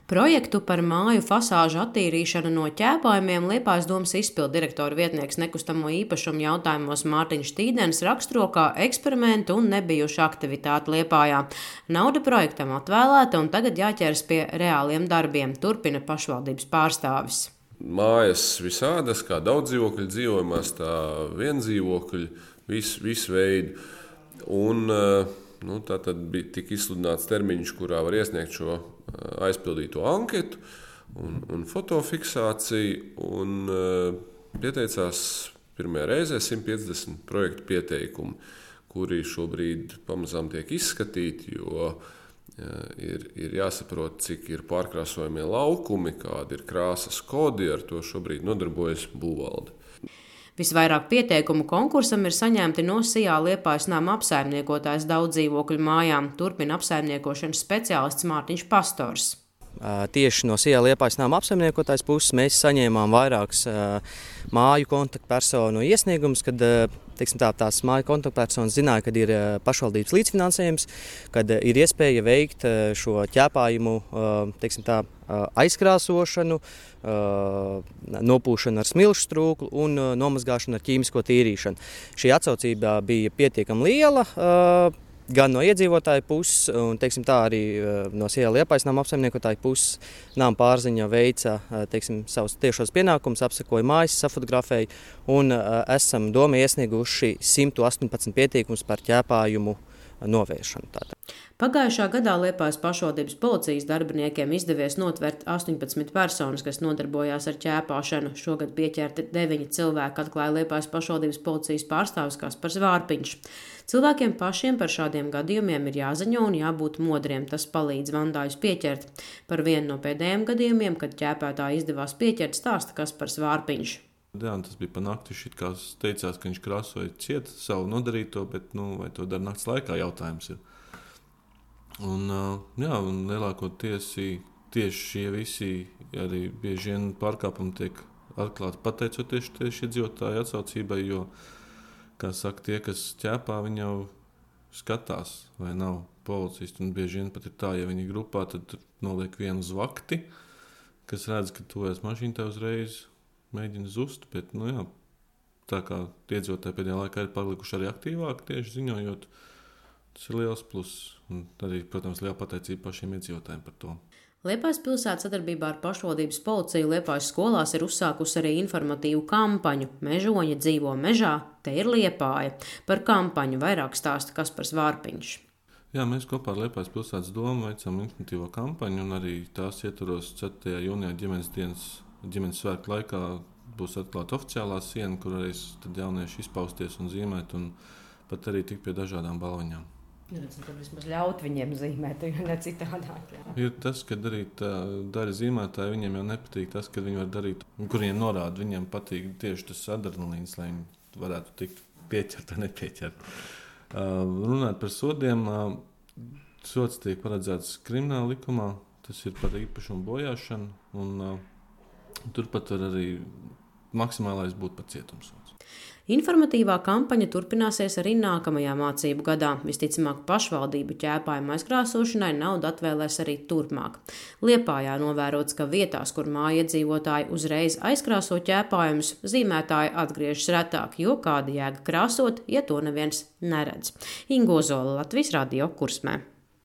Projektu par māju fasāžu attīrīšanu no ķēpājumiem Liepājas domas izpildu direktora vietnieks nekustamo īpašumu jautājumos Mārtiņš Tīdens raksturo kā eksperimentu un nebijušu aktivitāti Liepājā. Nauda projektam atvēlēta un tagad jāķeras pie reāliem darbiem, turpina pašvaldības pārstāvis. Mājas visādas, kā daudzdzīvokļu dzīvojamās, tā viendzīvokļu, visu veidu. Un tā tad tika izsludināts termiņš, kurā var iesniegt šo aizpildīto anketu un fotofiksāciju. Un pieteicās pirmajā reizē 150 projektu pieteikumu, kuri šobrīd pamazām tiek izskatīti, jo ir jāsaprot, cik ir pārkrāsojamie laukumi, kādi ir krāsas kodi, ar to šobrīd nodarbojas būvvalde. Visvairāk pieteikumu konkursam ir saņemti no Sijā Liepājas nama apsaimniekotājs daudzdzīvokļu mājām, turpina apsaimniekošanas speciālists Mārtiņš Pastors. Tieši no Sijā Liepājas nama apsaimniekotājs puses mēs saņēmām vairākus māju kontaktpersonu iesniegumus, kad tās māju kontaktpersonas zināja, kad ir pašvaldības līdzfinansējums, kad ir iespēja veikt šo ķēpājumu aizkrāsošanu, nopūšanu ar smilšu strūklu un nomazgāšanu ar ķīmisko tīrīšanu. Šī atsaucība bija pietiekami liela, gan no iedzīvotāju puses, un arī no Sijā Liepājas nama apsaimniekotāju puses. Nama pārziņa veica savus tiešos pienākumus, apsekoja mājas, safotografēja, un esam doma iesnieguši 118 pieteikumus par ķēpājumu novēršanu. Pagājušā gadā Liepājas pašvaldības policijas darbiniekiem izdevies notvert 18 personas, kas nodarbojās ar ķēpāšanu. Šogad pieķerti 9 cilvēki, atklāja Liepājas pašvaldības policijas pārstāvis Kaspars Vārpiņš. Cilvēkiem pašiem par šādiem gadījumiem ir jāziņo un jābūt modriem. Tas palīdz vandājus pieķert. Par vienu no pēdējiem gadījumiem, kad ķēpētāji izdevās pieķert, stāsta Kaspars Vārpiņš. Jā, tas bija pa nakti, kā teicās, ka viņš krāsoja ciet savu nodarīto, bet vai to dara nakts laikā, jautājums ir. Un lielākoties tieši šie visi arī bieži vien pārkāpumi tiek atklāti pateicoties tieši iedzīvotāju atsaucībai, jo, kā saka, tie, kas ķēpā, viņi jau skatās, vai nav policisti, un bieži vien pat ir tā, ja viņi ir grupā, tad noliek vienu uz vakti, kas redz, ka tuvēs mašīna tev uzreiz mēģina zust, bet, tā kā iedzīvotāji pēdējā laikā ir palikuši arī aktīvāki tieši ziņojot, tas ir liels pluss. Un arī, protams, liela pateicība pašiem iedzīvotājiem par to. Liepājas pilsēta sadarbībā ar pašvaldības policiju Liepājas skolās ir uzsākusi arī informatīvu kampaņu Mežoņi dzīvo mežā, te ir Liepāja. Par kampaņu vairāk stāsta Kaspars Vārpiņš. Jā, mēs kopā ar Liepājas pilsētas domu veicam informatīvo kampaņu, un arī tās ietvaros 4. jūnijā ģimenes svētku laikā būs atklāta oficiālā siena, kur arī tad jaunieši izpausties un zīmēt, un pat arī tik pie dažādām balviņām. Tad vismaz ļaut viņiem zīmēt, jo ne citādāk. Jā. Ir tas, ka arī daļa zīmētāji, viņiem jau nepatīk tas, ka viņi var darīt, kur viņiem norāda, viņiem patīk tieši tas adrenalīns, lai viņi varētu tikt pieķert vai nepieķert. Runāt par sodiem, sods tiek paredzēts krimināla likumā, tas ir par īpašumu bojāšanu, un turpat var arī maksimālais būt pat cietumsods. Informatīvā kampaņa turpināsies arī nākamajā mācību gadā. Visticamāk, pašvaldību ķēpājumu aizkrāsošanai naudu atvēlēs arī turpmāk. Liepājā novērots, ka vietās, kur mājiedzīvotāji uzreiz aizkrāso ķēpājumus, zīmētāji atgriežas retāk, jo kāda jēga krāsot, ja to neviens neredz. Inga Ozola, Latvijas Radio, Kursmē.